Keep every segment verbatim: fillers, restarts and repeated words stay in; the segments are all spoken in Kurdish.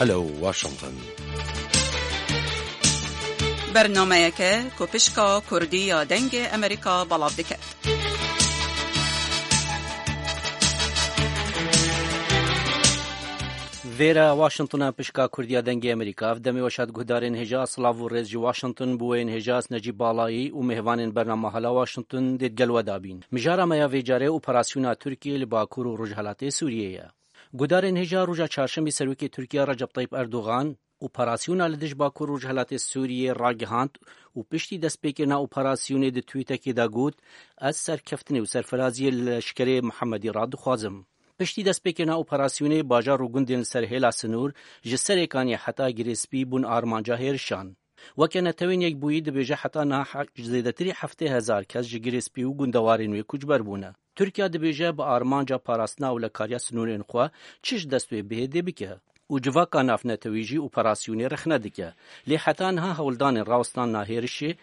Alo Washington. Bernameyeke ku pişka Kurdî ya Dengê Amerîka belav dike. Vêre Washington e, pişka Kurdî ya Dengê Amerîka. Ev demê weşat guhdarên hêja, silav û rêz ji Washington. Bi wê yên hêja ez Necîb Balayî û mêvanên bernama Hala Washington dê digel we dabîn. Mijara me ya vê carê operasyona Tirkiyê li Bakur û Rojhelatê Sûriyê ye. Guhdarên hêja, roja çarşemê serokê Tirkiye Recep Tayyip Erdogan operasyona li dij Bakur Rojhelatê Sûriyê ragihand û piştî destpêkirina operasyonê di twîtekê de got, ez serkeftinê û serfiraziyê li leşkerê Mihemedî re dixwazim. Piştî destpêkirina operasyonê bajar û gundên li ser hêla sinûr ji Serêkaniyê heta Girêspî bûn armanca hêrişan. Weke Netewên Yekbûyî dibêje heta niha he-, zêdetirî heftê hezar kes ji Girêspî û gundewarên wê koçber bûne. Tirkiye dibêje bi armanca parastina ewlekariya sinûrên xwe çi ji dest wê bihê dê bike û civaka navnetewî jî operasyonê rexne dike. Lê heta niha hewldanên rawestandina hêrişê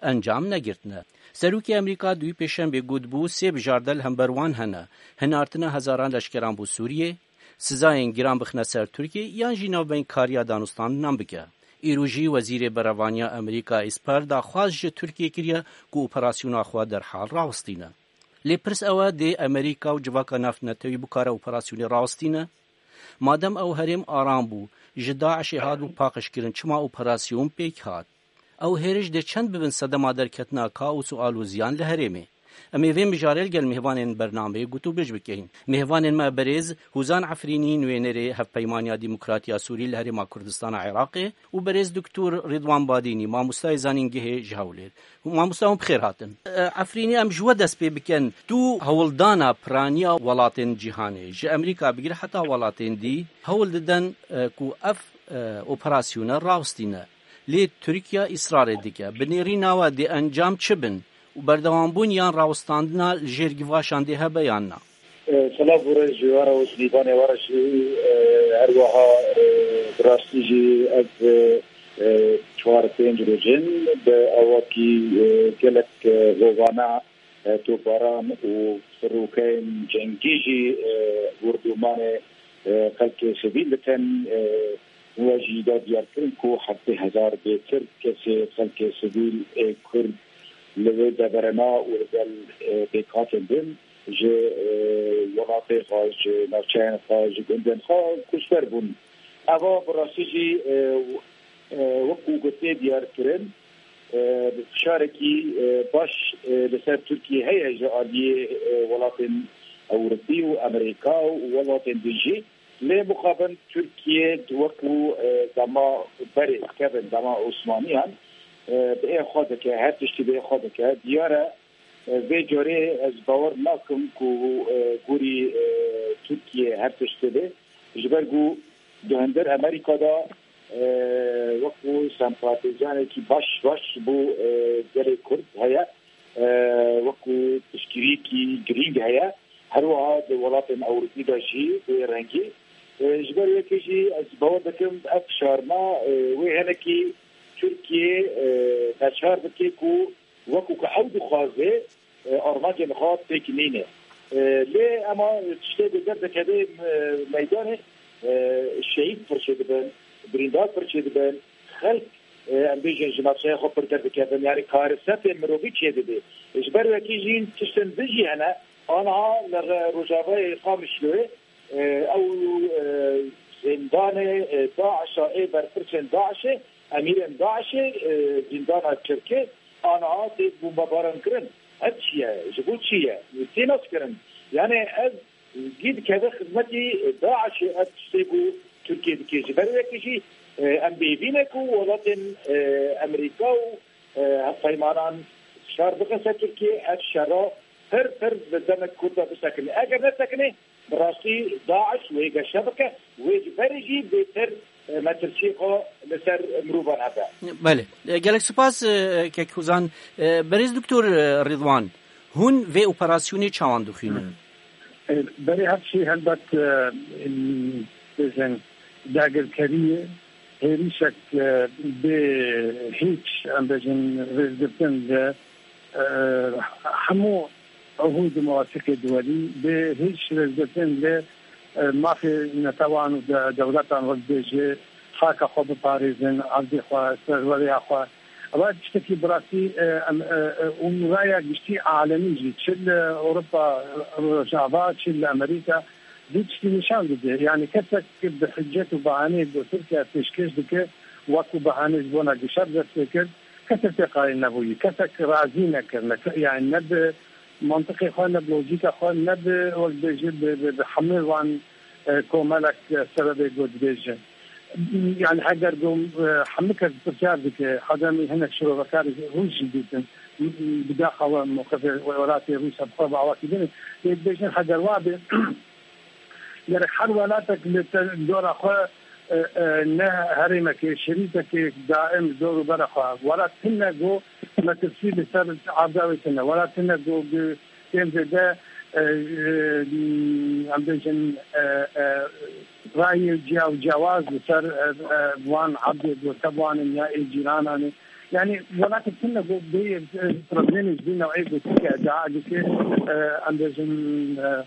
encam negirtine. Serokê Amerîka di wî pêşembê gotbû, sê bijarte li hember wan hene: hinartina hezaran leşkeran bo Sûriyê, sizayên giran bixine ser Tirkiyê yan jî navbeynkariya danûstandinan bike. Îro jî Wezîrê Berevaniya Amerîka Esper daxwaz ji Tirkiyê kiriye ku operasyona xwe derhal rawestîne. Lê pirs ew e, dê Amerîka û civaka navnetewî bikare operasyonê rawestîne? Madem ew herêm aram bû, ji DAIŞê hatbû paqijkirin, çima operasyon pêk hat? Ew hêriş dê çend bibin sedema derketina kaos û aloziyan li herêmê? Em ê vê mijarê li gel mêvanên bernameyê gotûbêj bikeyin. Mêvanên me berêz Hûzan Efrînî, nûênerê Hevpeymaniya Demokratî ya Sûrî li Herêma Kurdistana Iraqê û berêz Doktor Rîdwan Badînî, mamostayê zanîngehê ji Hewlêr. Mamosta, hûn bi xêr hatin. E, Efrînî, em ji we dest pê bikin. Tu hewldana piraniya welatên cîhanê, ji Amerîka bigire heta welatên dî, hewl diden, e, ku ev, e, operasyone rawestîne. Lê Tirkiye îsrarê dike. Bi nêrîna we dê encam çi bin? Û berdewambûn yan rawestandina li jêr givaşan dê hebe yan na? E, Silav û rêz ji we re û ji mêvanê we re jî, e, her wiha, e, bi rastî jî ev, e, e, çar pênc roj in bi awakî, e, gelek, e, hovane, e, topbaran û firokeyên cengî jî, e, bordûmanê, e, xelkê sivîl dikin. E, we jî da diyarkirin ku heftê hezar bêtir kesê xelkê sivîl ê Kurd li wê deverê ne û li gel, e, pêkhatên din ji, e, welatê xwe, ji navçeyên xwe, ji gundên xwe koçber bûn. Eva bi rastî jî, e, e, wekû gotê diyar kirin, e, fişarekî, e, baş, e, li ser Tirkiye heye ji aliyê, e, welatên Ewropî û Amerîka û welatên din jî. Lê mixabin Tirkiye wekû, e, dema berê kevin, dema Osmaniyan, e, bi ê xwe dike, her tiştî bi ê xwe dike. Diyar e, e, vê carê ez bawer nakim ku, e, gorî, e, Tirkiye her tiştî be. Ji ber ku di hundir Amerîka de, e, wekû sempatîzanekî baş, baş bû, e, gelê Kurd heye. E, wekû piştgirîkî girîng heye. Her wiha di welatên Ewropî de jî bi wê rengî. E, ji ber wê yekê jî ez bawer dikim ev fişarna, e, wê hinekî Tirkiye, e, neçar bike ku wekû ku ew dixwaze, e, armancên xwe pêk nîne. E, lê ema tiştê ku derdikeve, e, meydanê, e, şehîd pir çêdibin, birîndar pir çêdibin, xelk, e, em bêjin ji navçeya xwe pir derdikevin, yanî karesatê mirovî çêdibe. Ji ber wekî jî tiştên din jî hene, aniha li Re-, Rojavayê Qamişloyê, e, ew, e, zîndanê, e, DAIŞa, ê berpirsên DAIŞê, emîrên DAIŞê, e, zîndana Tirkê, aniha tê bombebaran kirin. Ev çi ye? Ji bo çi ye? Tê naskirin. Yanî ev gî dikeve xizmetî DAIŞê, ev tiştê ku Tirkiye dike. Ji ber wekî jî, e, em bêhîvî ne ku welatên, e, Amerîka û, e, hevpeymanan fişar bixin ser Tirkiye, ev şera pir pir bi demek kurt de bisekine. Eger nesekine, bi rastî DAIŞ wê geşe bike, wê ji berê jî bêtir, e, metirsiyê xwe li ser mirovan hebe. Belê. E, gelek spas, e, kek Huzan. E, berêz Doktor, e, Rîdwan, hûn vê operasyonê çawan dixwînin? E, berê her şey helbet, e, em, bêjin dagirkeriyê, hêrişek, e, bê hîç, em bêjin, rêzgirtin li, e, hemû ehûd û mewasiqê duwelî, bê hîç rêzgirtin li e, mafê netewan û de-, dewletan wek bêje, xaka xwe biparêzin, erdê xwe, serwereya xwe. Ewa tiştekî bi rastî, e, em, e, e, û raya giştî alemî jî, çi li Ewropa, Rojava, çi li Amerîka, vî tiştî nîşan dide. Yani kesek bi hicet û bahaneyê ku Tirkiye pêşkêş dike, wekû bahanê ji bona gişer dest pê kir, kesek tê qayîl nebûyî, kesek razî nekirine. Ke-, yani ne bi mantiqê xwe, ne bi lojîka xwe, ne bi, wek bêje, bi, bi, bi hemû wan, e, komelek, e, sebebê ku dibêje. Yani heger ku, e, hemû kes pirsiyar dike, heta em hinek şirovekarê Rûs jî dîtin, bi daxa we mewqifê welatê Rûsya bi xwe bi awakî din e. Lê dibêjin heger wa be, gerek her welatek li te-, dora xwe, e, e, ne herêmekê, şerîtekê daim dor û bera xwe. Wela tune ku metirsî li ser erda wê tune. Wela tune ku bi tên zêde, e, e, em bêjin, e, e, rayê ciya û ciyawaz li ser, e, e, wan erdê ku tev wan in ya ê cîranan e. Yani welatek tune ku bê, e, problemê ji vî newê ku Tirkiye iddia dike, e, em bêjin, e,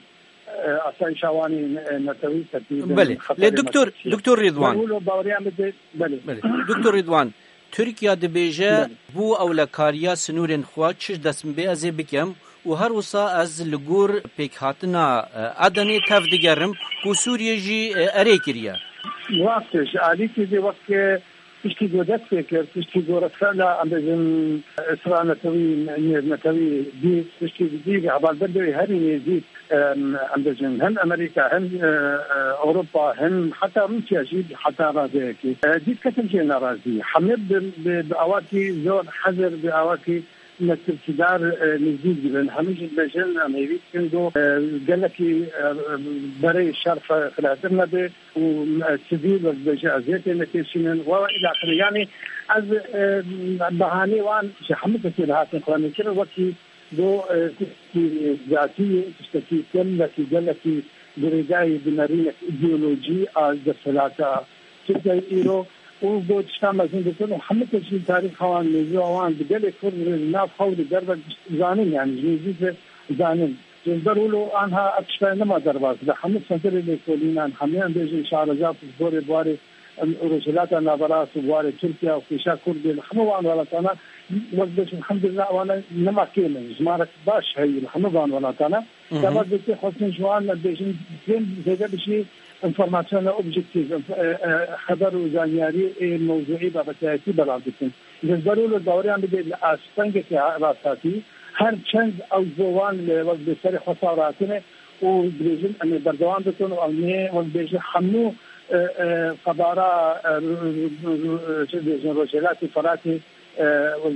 e, asayîşa wan ê ne-, netewî tepî bin Belê. Lê xeterê Doktor, metirsiyê. Doktor Rîdwan. Wilo baweriya min de, belê. Belê. Doktor Rîdwan, Tirkiye dibêje, Belê. Bû ewlekariya sinûrên xwe çi dest min bê ez ê bikim û her wisa ez li gor pêkhatina, e, Edenê tev digerim ku Sûriye jî, e, erê kiriye. Rast e, ji alîkî de wek, e, Tiştî ku dest pê kir, tiştî ku rexsana, em bêjin, isra netewî, nêvnetewî dît, tiştî dî hevalbendê herî nêzîk, em, em bêjin, hem Amerîka, hem, e, e, Ewropa, hem heta Rûsya jî heta radeyekê, e, dît ketin jê nerazî. Hemî bi, bi, bi awakî zor hezir, bi awakî metirsîdar, e, nêzîk dibin. Hemî jî dibêjin, em hêvî dikin ku, e, gelekî, e, e, berê şer xwe xilatir nebe. û, e, sivîl wek dibêje eziyetê nekêşînin, we, we îlaxirê. Yanî ez, e, behanê wan ji hemû kesê li hatin xwe nekirin, wekî go, e, tiştekî zatî, tiştekî gelekî, gelekî girêdayî bi nerînek îdeolojî a desthilata Tirkiyeyê îro û go tişta mezin dikin û hemû kes jî tarîxa wan, mewzûya wan bi gelê Kurd re li nav xwe û li derve zanin, yanî ji nêzîk re zanin. Ji ber wilo anha ev tiştayê nema derbas, li hemû senterê lêkolînan, hemû em bêjin şareca ku ji gorê buharê, em, Rojhilata Naverast û buharê Tirkiye û kêşa Kurdê li hemû wan welatana, wek bêjin, elhamdulillah, wana nema kêm in. Jimarek baş heye li hemû van welatana. Hı hı. Dema dê tê xwestin ji wan, em bêjin, kêm zêde bi jî informasyona objektîf, e, e, xeber û zanyarî ê mewzûî babetayetî belav dikin. Ji ber wilo baweriyan bide li astengekî rasthatî, her çend ew ji bo wan li, wek bi serê xwe sar hatine û dibêjin, em ê berdewam bikin û em ê, wek bêjin, hemû, e, e, qebara, e, ru-, ru-, ru-, ru-, çi dibêjin, Rojhilatê Feratê, e,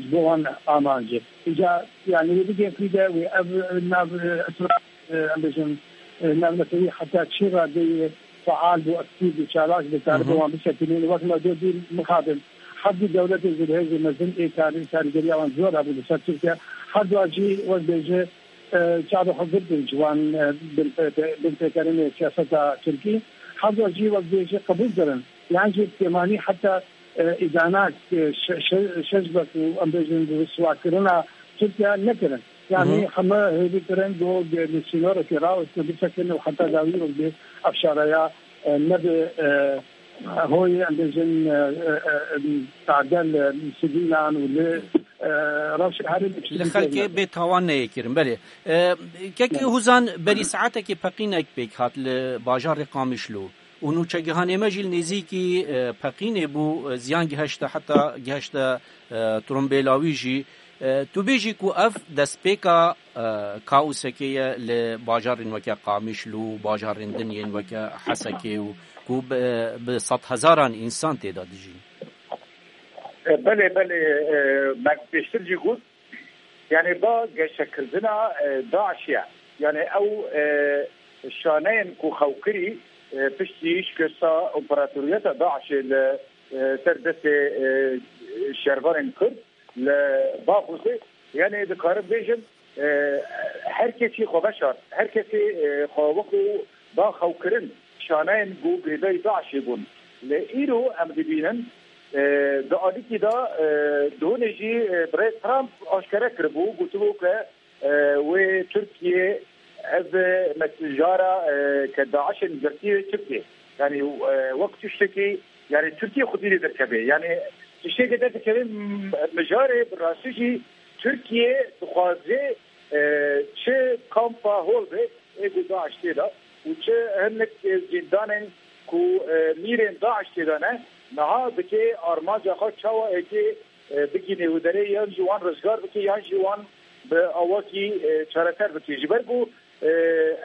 ji bo wan amanc e. Îca, yani, wê bigên fîde, wê ev nav, e, isra-, e, em bêjin, e, navnetewî heta çi radeyê feal bû, aktîf bû, çalak bû, karibe Hı hı. wan bisekinîn. Wek me dê dîr mixabin. Her du dewletê zilhêzê mezin ê karî-, karîgeriya wan zor hebû li ser Tirkiye. Her du jî wek bêje, e, çavê xwe girtin ji wan, e, binpê-, binpêkirinê siyaseta Tirkî. Her du jî wek bêje qebûl kirin. Yan jî pêmanî heta, e, îdana, e, şe-, şe-, şeş bek û em bêjin riswakirina Tirkiye nekirin. Yanî Hı hı. heme hêvî kirin ku li sînorekê rawestin bisekin û heta dawî wek bê ev şareya, e, nebe, e, hoyê, em bêjin, e, e, e, tadel, e, sivîlan û li, e, rewşa herêmê Li çi xelkê bê tawan neyê kirin, belê. E, kekê Belê. Huzan, berî saetekê peqînek pêk hat li bajarê Qamişlo. Û nûçegihanê me jî li nêzîkî, e, peqînê bû, e, ziyan gihişte, heta gihişte, e, trombêla wî jî. E, tu bêjî ku ev destpêka, e, kaosekê ye li bajarên weke Qamişlo û bajarên din yên weke Hesekê û ku bi, bi sedhezaran însan tê de dijîn. E, belê, belê, e, me pêştir jî got, yani ba geşekirina, e, DAIŞê ye. Yani ew, e, şaneyên ku xewkirî, e, piştî şikesta operatoriyeta DAIŞê li, e, ser destê, e, şervanên Kurd li Baxûzê, yani dikarin bêjin, e, her kesî xwe veşart, her kesî, e, xwe wekû ba xewkirin şaneyên ku girêdayî DAIŞê bûn. Lê îro em dibînin, e, di alîkî de, e, di hûnê jî, e, birêz Trump aşkere kiribû, gotibû ke, e, wê Tirkiye Ev, e, me-, mijara, e, ke DAIŞ'ê girtiye çi bike? Yani, e, wek tiştekî, yani, Tirkiye xwedî lê derkeve. Yani, tiştekê derdikeve, m-, mijarê bi rastî jî Tirkiye dixwaze, e, çi kampa hol be, ê ku DAIŞ tê de û çi hinek, e, zîndanên ku, e, mîrên DAIŞ tê de ne, niha dike armanca xwe çawa êkê, e, bigîne û derê yan jî wan rizgar bike yan jî wan bi awakî, e, çareser bike. Ji ber ku, e,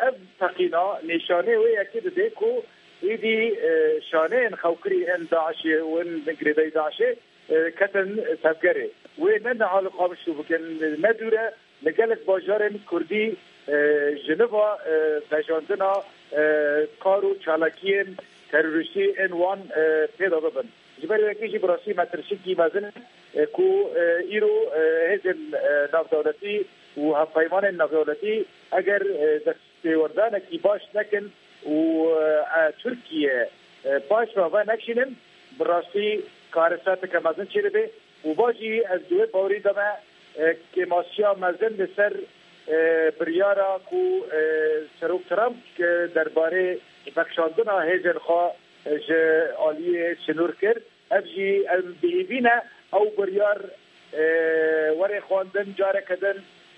ev teqîna nîşanê wê yekê dide ku êdî, e, şaneyên xewkirî ên DAIŞ'ê û ên girêdayî DAIŞ'ê, e, ketin tevgerê. Wê ne niha li Qamişlo bikin, ne dûr e, li gelek bajarên Kurdî, e, ji niva, e, vejandina, e, kar û çalakiyên terorîstî ên wan, e, pê de bibin. Ji ber wekî jî bi rastî me tirşikî mezin e, ku, e, îro, e, hêzên, e, navdewletî û hevpeymanên navdewletî eger, e, destpêwerdanekî baş nekin û, e, e, Tirkiye, e, paş ve venekşînin, bi rastî karesateke mezin çêdibe. Û va jî ez di wê bawerî de me, e, kêmasiya mezin li ser, e, biryara ku, e, Serok Trump, e, derbarê vekşandina hêzên xwe, e, ji aliyê sinûr kir. Ev jî em bihîvî ne ew biryar, e, were xwendin, careke din,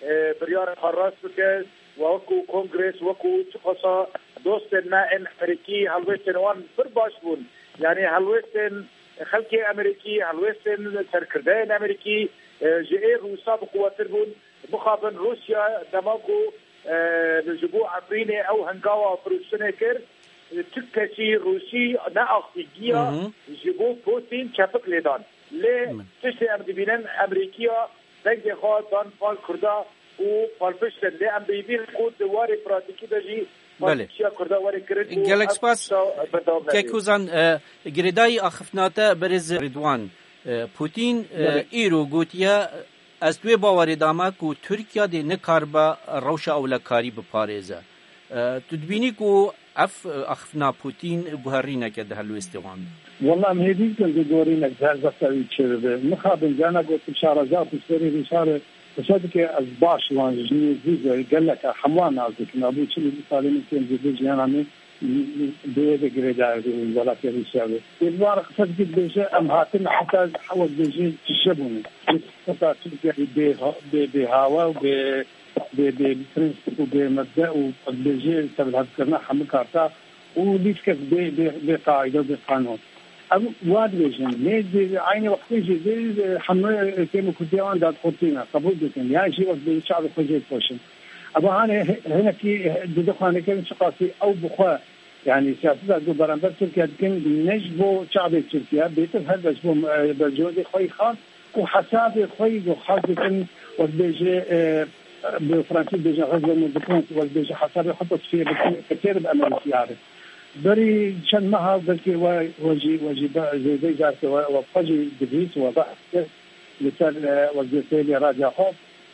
e, biryara xwe rast bike. We wekû kongres, wekû çiqasa dostên me ên Amerîkî, helwêstên wan pir baş bûn. Yani helwêstên xelkê Amerîkî, helwêstên serkirdeyên Amerîkî, e, ji ê Rûsa bi quwetir bûn. Mixabin Rûsya dema ku, e, li ji bo Efrînê ew hengawa firûştinê kir, e, tu kesî Rûsî neaxivî giya Hı hı. ji bo Putin çepik lêdan. Lê Hı. tiştê em dibînin Amerîkiya dengê xwe dan pal Kurda û palpiştin. Lê em dibînin ku di warê pratîkî de jî Belê. palpiştiya Kurda were kirin û Gelek ev spas. tişta berdewam nebê. Kek Ozan, e, girêdayî axiftina te berêz Rêdwan. E, Putin, e, Belê. îro gotiye, ez di wê bawerê de me ku Tirkiye dê nikaribe rewşa ewlekarî biparêze. E, tu dibînî ku ev, e, axiftina Putin guherîneke di helwêstê wan de? Wela em hêvî dikin ku guherînek di helbesta wî çêbibe. Mixabin carna gotin şareza piştberî rûsarê qise dike, ez baş wan ji nêzdî ve gelek hemwan nas dikin. Abû çil û du salê min kêm zêde jiyana min bi wê de girêdayî welatê Rûsya be. Ê bi wan re qise dike dibêje, em hatin heta hewa dibêje tije bûne. Heta Tirkiye bê, bê, bê hawa û bê, bê, bê prensîp û bê mebde û dibêje tevlihevkirina hemû karta û lîstkek bê, bê, bê qaîde û bê qanûn. Ev wa dibêjin. Lê di eynî wextê jî di hemû kêm û kurtiya wan dadxurtî ne, qebûl dikin. Yan jî wek dibêje çavê xwe jê dipoşin. Eva hanê hinekî dide xwe nêkirin çiqasî ew bi xwe, yanî siyaseta ku beramber Tirkiye dikin, ne ji bo çavê Tirkiye, bêtir her be ji bo, e, bercewendê xwe yî xas û hesabê xwe yî ku xas dikin, wek bêje, e, bi fransî dibêjin, règlement de compte, wek bêje hesabê xwe tasfiye bikin, fekê bi Amerîkî are. Berî çend meha belkî we, we jî, we jî be-, zêdeyî carke we, we xwe jî dibîst, we behs kir li ser, e, wezîfeyê lê radya xwe.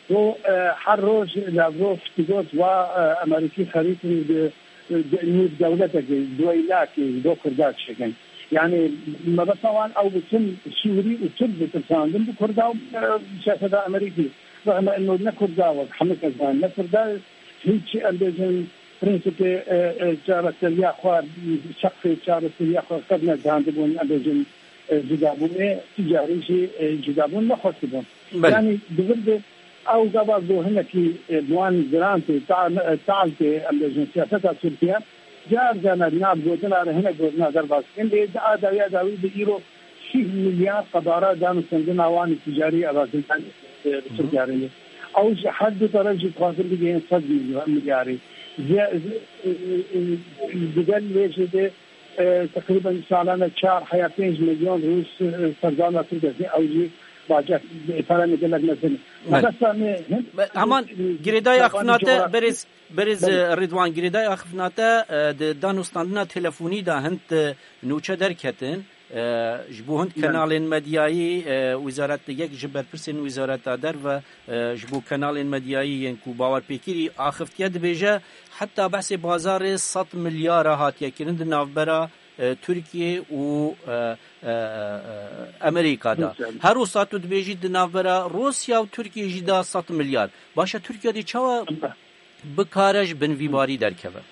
Ku, e, her roj Lavrov digot wa, e, Amerîkî xerîtin di, di nîv dewletekê, duweylakê ji bo Kurda çêkin. Yani mebesta wan ew bi tim Sûrî û Tirk bitirsandin bi Kurda û, e, siyaseta Amerîkî. Rexme ino ne Kurda wek hemû kes zanin, ne Kurda hiç, em bêjin, prensîpê, e, e, çareseriya xwe, seqfê çareseriya xwe qet nezihandibûn, em bêjin, e, cudabûnê, tu carî jî, e, cudabûn nexwestibûn. Belê. Yanî di vir de ew gava ku hinekî, e, bi wan giran tê, ta-, e, tal tê, em bêjin siyaseta Tirkiye, car carna di nav gotina re hinek gotina derbas dikin. Lê di a dawiya dawî de îro sî milyar qebara danûstendina wan ê ticarî erazî, e, bi Tirkiye re ye. Ew ji her du teref jî dixwazin bigihên sed milyarî. Ze-, e, e, e, digel wê jê de e, teqrîben salane çar heya pênc milyon rûs, e, serzana Tirkiye, ew jî bace, e, pere ne gelek mezin e. Evet. Mebesta me hin-, Be-, heman e, girêdayî e, axiftina te coğrafya berêz, berêz, Belê. e, Rêdwan, girêdayî axiftina te, e, di danûstandina telefonî de hind, e, nûçe derketin. E, ji bo hind Belê. kanalên medyayî, e, wizareta yek ji berpirsên wizareta derve e, ji bo kanalên medyayî yên ku bawerpêkirî axiftiye dibêje, heta behsê bazarê sed milyara hatiye kirin di navbera, e, Tirkiye û, e, e, e, Amerîka de. Rûsya. Her wisa tu dibêjî di navbera Rûsya û Tirkiye jî de sed milyar. Baş e, Tirkiye dê çawa Em be- bikare ji bin vî barî derkeve.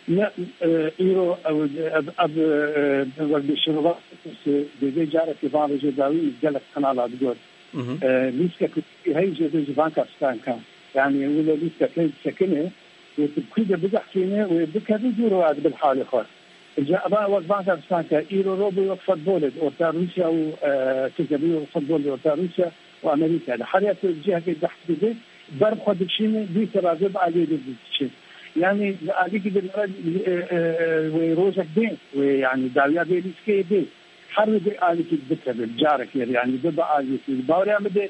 Ne, e, îro ew, ev, ev, e, wek bi şirova dê vê carekê van vêjê dawî gelek kanala digot. Mhm. E, lîstek heyî jê vê ji van kastan ka. Yani wilo lîstek heyî sekine, wê tu kû de bizaxkêne, wê bikeve dûr û ez bil halê xwe. Îca eva wek van kastan ka îro ro bû wek futbolê di orta Rûsya û, e, Tirkiye bû wek futbolê di orta Rûsya û Amerîka de. Her ya tu cihekê behs dide, ber xwe dikişîne, dî tevazê bi aliyê de diçe. Yani li alîkî de e, e, e, wê rojek bê, wê yani dawiya vê lîskeyê bê. Her wê bê alîkî bikeve, carekê yani bê bi aliyekî. Bawerê min de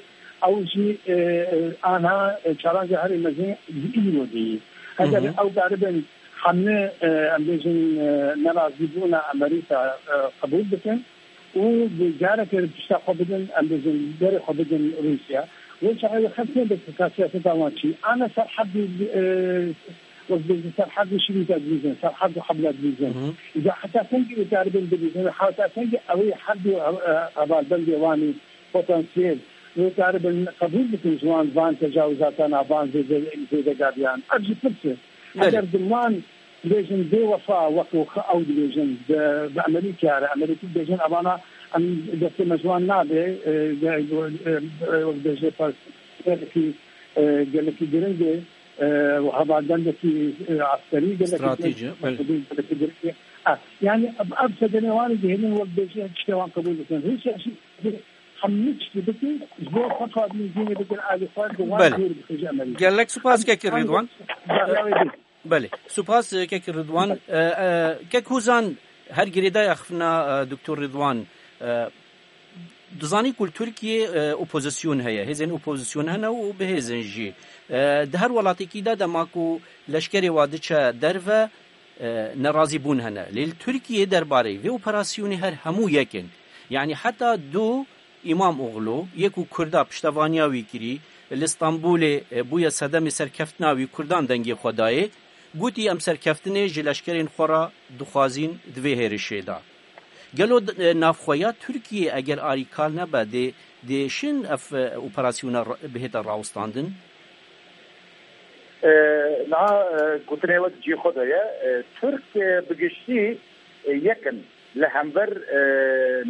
ew jî, e, e, anha, e, çalanja herî mezin ji îro de ye. Eger Hı hı. ew karibin hemle, e, em bêjin, e, nerazîbûna Amerîka, e, qebûl bikin, û bi careke pişta xwe bidin, em bêjin, berê xwe bidin Rûsya. Wê çaxê wê xelk nêbe ka siyaseta wan çi. Ana serhedî, e, wek bêjin, serhedî şirîta dibîzin, serhed û hebla dibîzin. Hı hı. Îca heta sengî wê karibin dibîzin, heta sengî ew ê herdû, e, hevalbendê wan ê potansiyel wê karibin qebûl bikin ji wan van tecawizatana, van zêde-, zêdegariyan. Ev jî pirs e. Belê. Eger di wan Dibêjin bêwefa wek ew dibêjin, bi, bi Amerîka re, Amerîkî dibêjin, evana em destê me ji wan nabe, e, ge-, e, e, wek dibêje parçeyekî, e, gelekî giring e, e, û hevalbendekî, e, eskerî gelekî Stratejî, giring, belê. Gelekî giring e. Ha, yani ev, ev sedenê wan dihêlin wek dibêje tiştê wan qebûl bikin. Rûsya jî hemû tiştê bikin, ji bo xwe xwedî zînê bikin alî xwe, bi wan Belê. Dûr bixin ji Amerîka. Gelek spas kek Rîdwan. Belê. Belê. Spas, e, kek Ridwan. E, e, kek Hozan, her girêdaya xifna, e, Doktor Ridwan, e, dizanî ku li Tirkiyê, e, opozisyon heye. Hêzên opozisyon hene û bi hêzên jî. E, di her welatekî de dema ku leşkerê wa diçe derve, e, nerazîbûn hene. Lê li Tirkiyê derbarê vê operasyonê her hemû yek in. Yanî heta du Îmamoglu, yê ku Kurda piştevaniya wî kirî, li Stenbolê, e, bûye sedemê serkeftina wî, Kurdan dengê xwe dayê, gotî, em serkeftinê ji leşkerên xwe re dixwazîn di vê hêrişê de. Gelo, e, navxweya Tirkiyê eger arîkar nebe, dê, dê şin ev, e, operasyona ra-, bihête rawestandin? E, niha, e, gotinê we di cihê xwe de ye. E, Tirk, e, bi giştî, e, yek in. Li hember, e,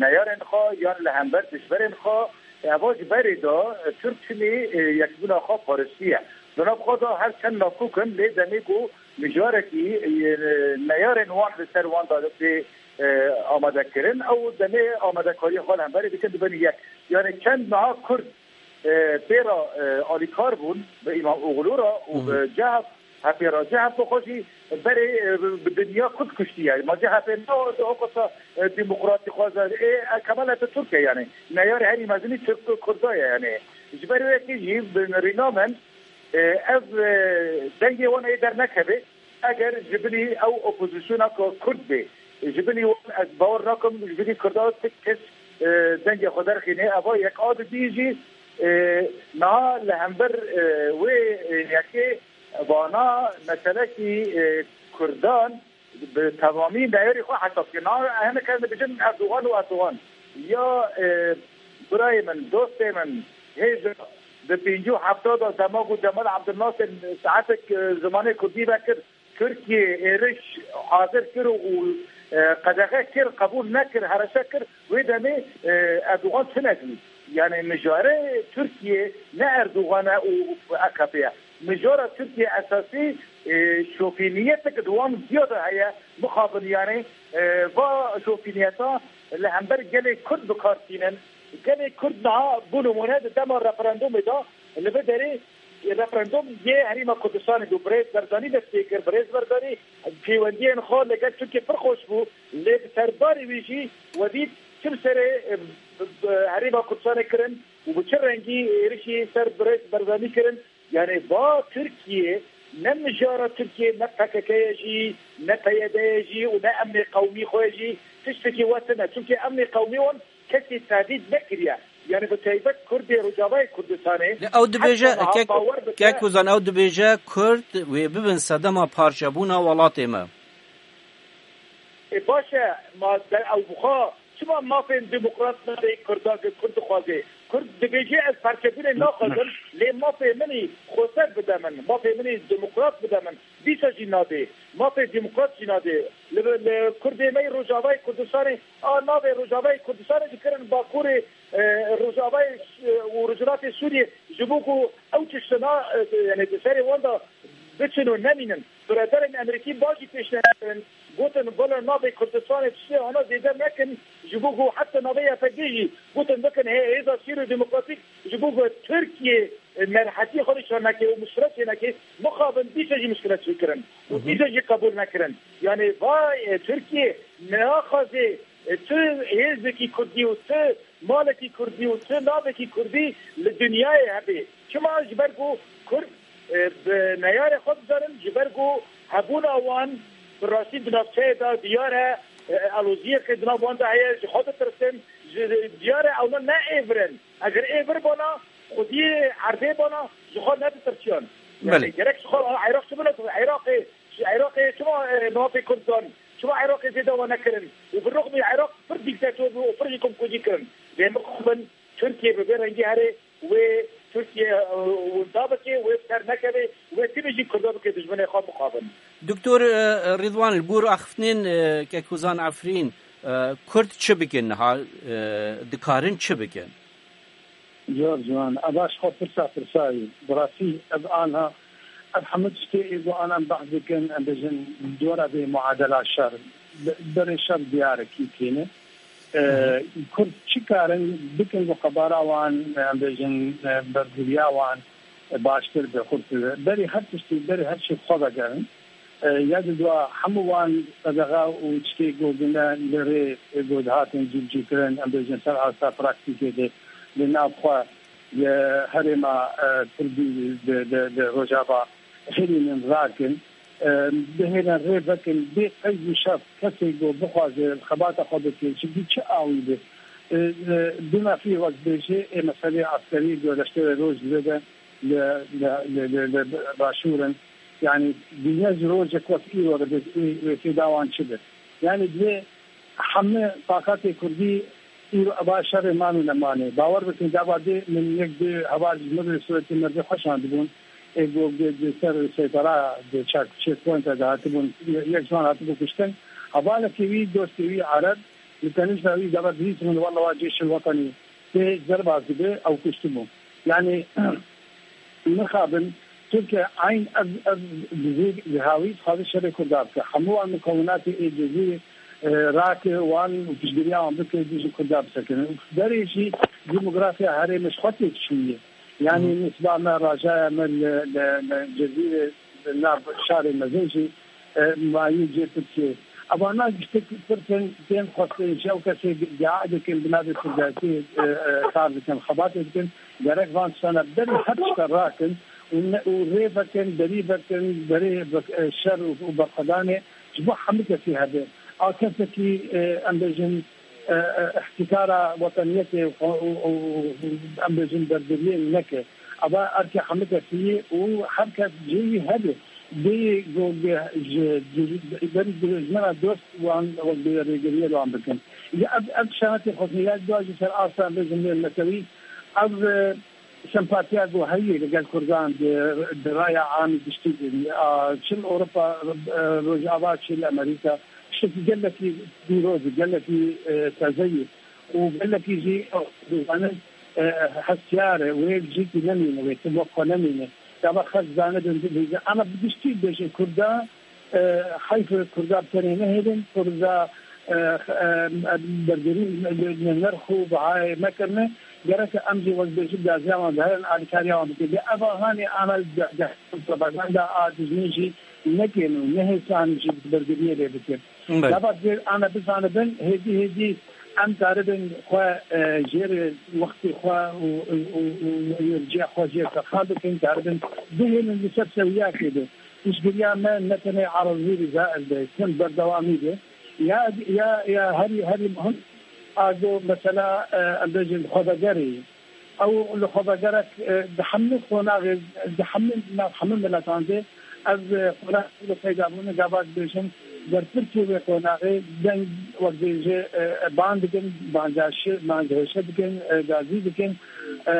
neyarên xwe yan li hember dijberên xwe, e, eva ji berê de, e, Tirk çimî, e, yekbûna xwe parêstiye. Di nav xwe de her çend nakok in, lê demê ku mijarekî, e, neyarên wan li ser wan de tê, e, amadekirin, ew demê amadekariya xwe li hemberê dikin, dibin yek. Yani çend niha Kurd e, pê re, e, alîkar bûn bi Îmamoglu re û Hı hı. bi C H P, H P re. C H P xwe jî berê, e, bi, bi dinya Kurd kuştiye. Ma C H P ne o, o kasa, e, demokratî xwaze. Ê, e, Kemal Atatürk e yani. Neyarê herî mezinî Tirk û Kurda ye yani. Ji ber wê yekê jî bi rîna min, e, ev, e, dengê wan ê dernekeve. Eger ji bilî ew opozisyona ku Kurd bê, ji bilî wan ez bawer nakim, ji bilî Kurda ti kes, e, dengê xwe derxîne. Eva yek a didî jî, e, niha li hember, e, wê, e, yekê vana meselekî, e, Kurdan bi temamî neyarî xwe hesab kir. Niha hinek em dibêjin Erdogan û Erdogan. Ya, e, birayê min, dostê min, hêja di pêncî û hefta de dema ku Cemal Abdulnasir saetek, e, zimanê Kurdî vekir, Tirkiye êriş hazir kir û, e, qedexe kir, qebûl nekir, hereşe kir, wê demê, e, Erdogan tune bû. Yani mijare Tirkiye ne Erdogan e û A K P ye. Mijara Tirkiye esasî, e, şofîniyetek di wan ziya de heye, mixabin yani, e, va şofîniyeta li hember gelê Kurd bi kar tînin. Gelê Kurd niha, bo nimûne, di dema referandumê de li vê derê referandum yê Herêma Kurdistanê bû. Birêz Barzanî dest pê kir. Birêz Barzanî pêwendiyên xwe li gel Tirkiyê pir xweş bû. Lê bi serdarê wî jî we dît çi bi serê, e, bi, bi Herêma Kurdistanê kirin û bi çi rengî êrişî ser Birêz Barzanî kirin. Yani va Tirkiye, ne mijara Tirkiye, ne P K K ye jî, ne P Y D ye jî û ne emnê qewmî xwe ye jî, tiştekî we tune. Çimkî emnê qewmî wan kesî tehdît nekiriye. Yani bi taybet Kurdê Rojavayê Kurdistanê. Lê ew dibêje, heta niha kek, bawer bike. Kek Hozan, ew dibêje Kurd wê bibin sedema parçebûna welatê me. E, baş e, ma de-, ew bixwe çima mafên demokrat nade Kurda, Kurd dixwaze? Kurd dibêje ez parçebûnê naxwazim, lê mafê min î xweser bide min, mafê min î demokrat bide min. Dîsa jî nadê. Mafê demokrat jî nadê. Li, li Kurdê me yê Rojavayê Kurdistanê, a navê Rojavayê Kurdistanê dikirin Bakurê, e, Rojavayê, e, û Rojhilatê Sûriyê, ji bo ku ew tiştana, e, yani di serê wan de biçin û nemînin. Biraderên Amerîkî bajî pêşniyar kirin, gotin, bala navê Kurdistanê tiştê ana zêde nekin, ji bo ku heta navê Y P G jî gotin bikin hê-, hêza sîr û demokratîk, ji bo ku Tirkiye, e, merhetiyê xwe nîşan neke û muşkilet çê neke, mixabin dîsa jî muşkilet çêkirin û dîsa jî qebûl nekirin. Yani va, e, Tirkiye naxwaze, e, tu hêzekî Kurdî û tu malekî Kurdî û tu navekî Kurdî li dinyayê hebe. Çima? Ji ber ku Kurd, e, bi neyarê xwe dizanin, ji ber ku hebûna wan bi rastî di navçeyê de diyar e, e, aloziyeke di nav wan de heye, ji xwe ditirsin, ji, diyar e ewna ne êvir in. Eger êvir bana, xwediyê erdê bana, ji xwe neditirsiyan. Yani Belê. Gerek ji xwe Iraq çi bine, Iraqê, ji Iraqê çima, e, mafê Kurd dan? Çima Iraqê zêde wan nekirin? Û bi rixmî Iraq pir dîktator bû û pir jî komkujî kirin. Lê mixabin Tirkiye bi vê rengî here wê Tirkiye, e, winda bike, wê bi ser nekeve, wê timî jî Kurda bike dijminê xwe mixabin. Doktor, e, Rîdwan, li gor axiftinên, e, Kekûzan Efrîn, e, Kurd çi bikin niha, e, dikarin çi bikin? Zor ciwan, ev baş xwe pirsa pirsayî. Bi rastî ev anha, ev hemû tiştê ê ku anan behs dikin, em bêjin dora vê muadela şer. Be-, berê şer diyar e kî têne. E, Kurd çi karin bikin ku qebara wan, em bêjin, e, bergiriya wan, e, baştir be, xurt be. Berî her tiştî, berî her tiştî xwe vegerin. E, ya di dua hemû wan qedexe û tiştê ku gune li rê, e, ku dihatin cîbicîkirin, em bêjin ser asta praktîkê de li nav xwe li herêma, e, Kurdî di, di, di Rojava herînin rakin. E, bihêlin rê vekin, bê qeyd û şert kesê ku bixwaze xebata xwe bike, ji bî çi awî be. E, e, bîna fî wek dibêje, ê meselê eskerî ku leşkerê roj li vê de li, li, li, li, li başûr in. Yani, dîne ji rojek wek îro re bê, wê, wê fêda wan çi be? Yani, divê hemû taqatê Kurdî îro eva şerê man û nemanê. Bawer bikin, gava dê min yek dê heval ji min re sûretê merdê xwe şandibûn. Ê, go, go, go, ser seytara de çak, checkpoint de hatibûn, ye-, yek ji wan hatibû kuştin. Hevalekî wî, dostê wî Ereb, li tenîşta wî gava dihîstin, walla wa cêşil wetanî tê derbas dibe, ew kuştibû. Yani, mixabin, Tirkiye eyn ev, ev dizî, dihawî dixwaze şerê Kurda bike. Hemû wan mukewinatê ê dizî, e, rake wan û piştgiriya wan bike, dijî Kurda bisekinin. Û berê jî demografiya herêmê ji xwe têk çûye. Yani, nisba me, rajaya me li, li, li Cezîrê, li nav şarê mezin jî, e, mayî cê Tirkiyê. Evana giştek pirsin, tên xwestin, ji ew kesê dua dikin, bi navê Kurdayetî, e, e, kar dikin, xebatê dikin. Gerek van tiştana berî her tişta rakin û ne, û rê vekin, berî vekin, berê vek-, e, şer û, û berxwedanê ji bo hemû kesî hebe. A kesekî, e, em bêjin, e, e, îhtîkara wetaniyetê û, û, û, û, em bêjin bergiriyê neke. Eva erkê hemû kesî ye û her kes cihê wî hebe. Bê go-, ge-, ji, ji, berî dijmena dost wan wek bi rêgiriyê li wan bikin. Ya ev, ev şanetê xwestin ya dua jî ser asta em bêjin mêl netewî. Ev, e, sempatiya ku heye li gel Kurdan di, di raya amî giştî de, a, çi li Ewropa, e, Rojava, çi li Amerîka, tiştekî gelekî pîroz e, gelekî, e, teze ye û gelekî jî, e, dizanin, e, hestiyar e, wê cihekî nemîne, wê tim wek xwe nemîne. Gava xelk zanibin, bibêjin. Ama bi giştî bêjin Kurda, e, heyf e Kurda bi tenê nehêlin, Kurda, e, e, bergirî li, li nerx û bihayê mekirine. Gerek em jî wek bêjin gaziya wan biherin, alîkariya wan bikin. Lê eva hanê ana de, de, propaganda a dijmin jî nekin û nehêsan jî bergiriyê lê bikin. Belê. Gava divê ana bizanibin, hêdî hêdî em karibin xwe, e, jêr wextê xwe û, û, û, û, û yê ciya xwe jêr terxan bikin, karibin bihêlin li ser sewiyakê de. Piştgiriya me ne tenê erazî Rîza Eldayî, tim berdewamî be. Ya, ya, ya herî, herî muhim a go mesela, e, em bêjin xwevegerê. Ew li xwevegerek, e, di hemû qonaxê, di hemû nav hemû miletan de ev, e, qonax li peyda bûne, gava dibêjin, Berpirsê wê qonaxê deng wek bêje, e, e, ban dikin, bancaşi, bancahêşe dikin, e, gazî dikin. E,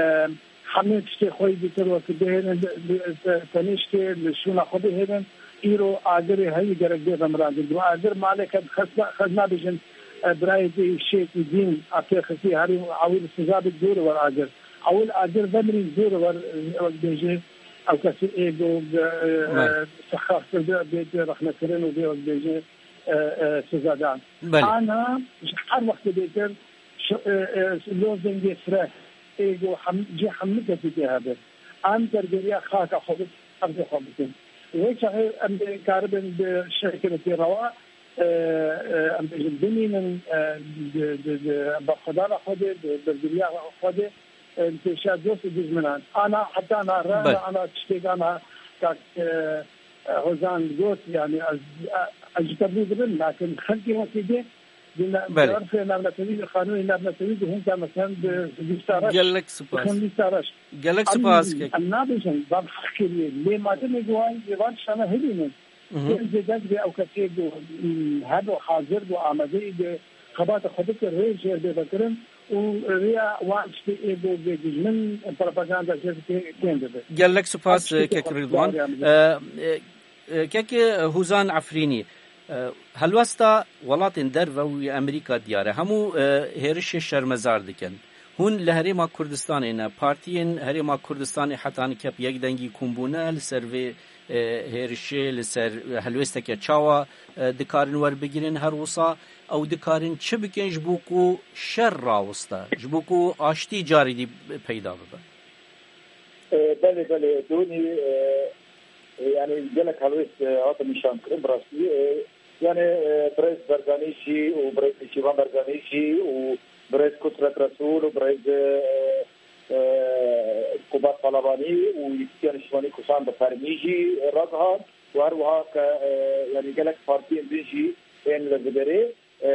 hemê tiştê xwe yî dîtir wek bihêlin, bi, bi, te-, tenê ştê li şûna xwe bihêlin. Îro agirê heyî gerek bê vemirandin. Bi agir maleke xezna, xezna bêjin, e, birayê dê şêkî dîn, a tê xistî herî ewil siza bi dûr wer agir. Ewil agir vemirî dûr wer, e, wek bêje, ew kesî ê go, e, e, sexaf kirdi, bê, bê rexnekirin û bê wek bêje, e, e, sizadan. Belê. Ana ji her wextê bêtir şi-, e, e, lo dengê fire ê go hem, cê hemû kesî tê hebe. Em dergeriya xaka xwe bi, ev xwe bikin. Wê çaxê em dê karibin bi şeklekî rewa, e, e, em bêjin bimînin, e, di, di, di berxwedana xwe de, di bergeriya xwe de, e, li pêşiya dost û dijminan. Ana heta na re, Belê. Ana tiştêk ana kak, e, e, Hozan got, yani ez, e, ez ji te bû dibim, lakin xelkê wekî dê, di ne-, Belê. di erfê navnetewî, di qanûnê navnetewî, di hûn de, meselen, di lîsta reş, Gelek di spas. hûn lîsta reş. Gelek Em, spas kek. em nabêjin, van heq kiriye. Lê mademê guhay, lê van şana hilînin. Mhm. Hêzê deng bê ew kesê ku, mm, hebe hazir bû, amadeyî bi xebata xwe bike, rê jêr bê vekirin û rêya wan tiştê ê ku bê dijmin propaganda jê bike kêm bibe. Gelek spas, Ev tiştekî kek xwe Ridwan. Dawriya min. E, e, e, kek Huzan Efrînî, e, helwesta welatên derve û yê Amerîka diyar e. Hemû, e, hêrişê şermezar dikin. Hûn li Herêma Kurdistanê ne, partiyên Herêma Kurdistanê heta nikep yek dengî kom bûne li ser vê, e, hêrişê, li ser helwêsteke çawa, e, dikarin werbigirin her wisa, ew dikarin çi bikin ji bo ku şer rawiste, ji bo ku aştî carî dî peyda bibe? E, belê, belê, Dûnî, e, e, yani gelek helwêst, e, hatin nîşankirin, bi rastî, e, yani, e, birêz Barzanî jî û birêz Nêçîrvan Barzanî jî û birêz Kudret Resûl û birêz, e, e, Kubat Talabanî û Yekîtiya Niştimanî Kurdistanê bi fermî jî ragihand û her wiha ke, e, yani gelek partiyên din jî ên li vê derê, e,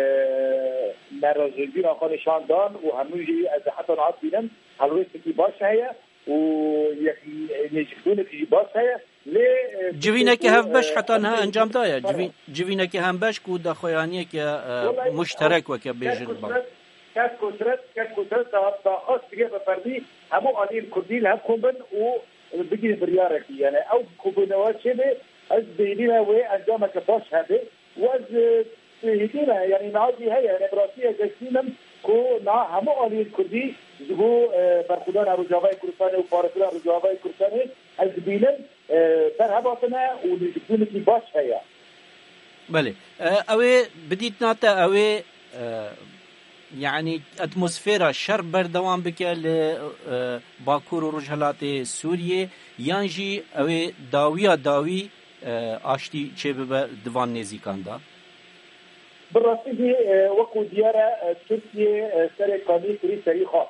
nerazîbûna xwe nîşan dan û hemû jî ez ê heta niha dibînim helwêstekî baş heye û yek nêzîkbûnekî jî baş heye. Lê, e, Civîneke tiştê ku, hevbeş e, heta niha em ê encam daye. Civî-, civîneke hevbeş ku daxuyaniyeke, e, Wellahî, muşterek weke bêjin. Kek Kudret, kek Kudret, kek Kudret da, daxwaz kiriye bi fermî hemû aliyên Kurdî li hev kom bin û bigihîn biryarekî. Yani ew ku bûnewe çêbe, ez dihêlîme wê encameke baş hebe. Û ez, e, hêdî me, yani niha jî heye, yani bi rastî ez hêdî me ku niha hemû aliyên Kurdî ji bo, e, berxwedana Rojavayê Kurdistanê û parastina Rojavayê Kurdistanê ez dibînim, e, berhev hatine û nêzîkbûnekî baş heye. Belê. E, ew ê bidîtina te, ew ê, e, yani atmosfera şer berdewam bike li, e, Bakur û Rojhelatê Sûriyê, yan jî ew ê dawiya dawî e, aştî çêbibe di van nêzîkan de? Bi rastî jî, e, wekû diyar e, e, Tirkiye, e, serê kanî kirî serî xwe.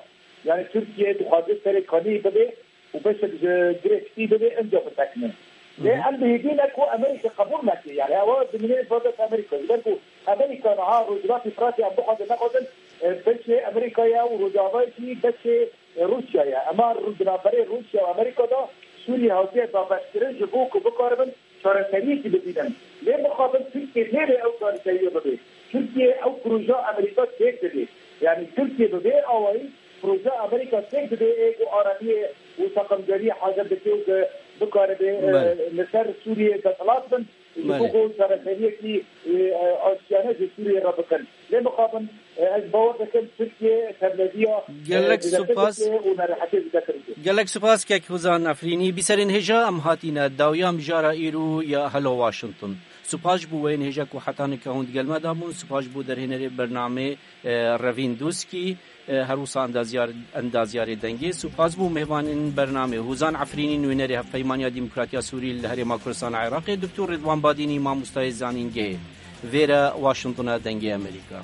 Yani Tirkiye dixwaze serê kanî bibe û beşek ji girê spî bibe, inca bisekine. Lê Hı hı. em dihêdî ne ku Amerîka qebûl neke. Yani ewa dimîne berdest Amerîka. Ji ber ku Amerîka niha Rojhilatî Firatê em bixwazin nexwazin, e, beşê Amerîka ye û Rojava jî beşê Rûsya ye. Ema ru-, di navberê Rûsya û Amerîka de Sûriye hatiye dabeşkirin ji bo ku bikaribin çareseriyekî bibînin. Lê mixabin Tirkiye nêbe ew çareseriyê bibe. Tirkiye ew proja Amerîka têk dide. Yani Tirkiye bi vê awayî proja Amerîka têk dide ê ku aramiyê û seqemgeriyê hazir dike û ku bikaribe, e, Belê. li ser Sûriye desthilat bin. Ji Belê. bo ku çareseriyekî, e, e, aştiyane ji Sûriyê re bikin. Lê mixabin, e, ez bawer dikim Tirkiye tevlediya, e, Gelek zêdetir supas. dike û nerehetiyê zêdetir dike. Gelek supas kek Huzan Efrînî. Bîserên hêja em hatîne dawiya mijara îro ya Hello Washington. Supas ji bo weyên hêja ku heta nika hûn digel me de bûn. Supas ji bo derhênerê bernamê, e, Revîn Dûskî. E, her wisa endazyar-, endazyarê dengê. Supas bû mêvanên bernamê. Hûzan Efrînî, nûnerê Hevpeymaniya Demokratiya Sûrî li Herêma Kurdistana Iraqê, Doktor Ridwan Badînî, mamostayê zanîngehê. Vêre Washingtona Dengê Amerîka.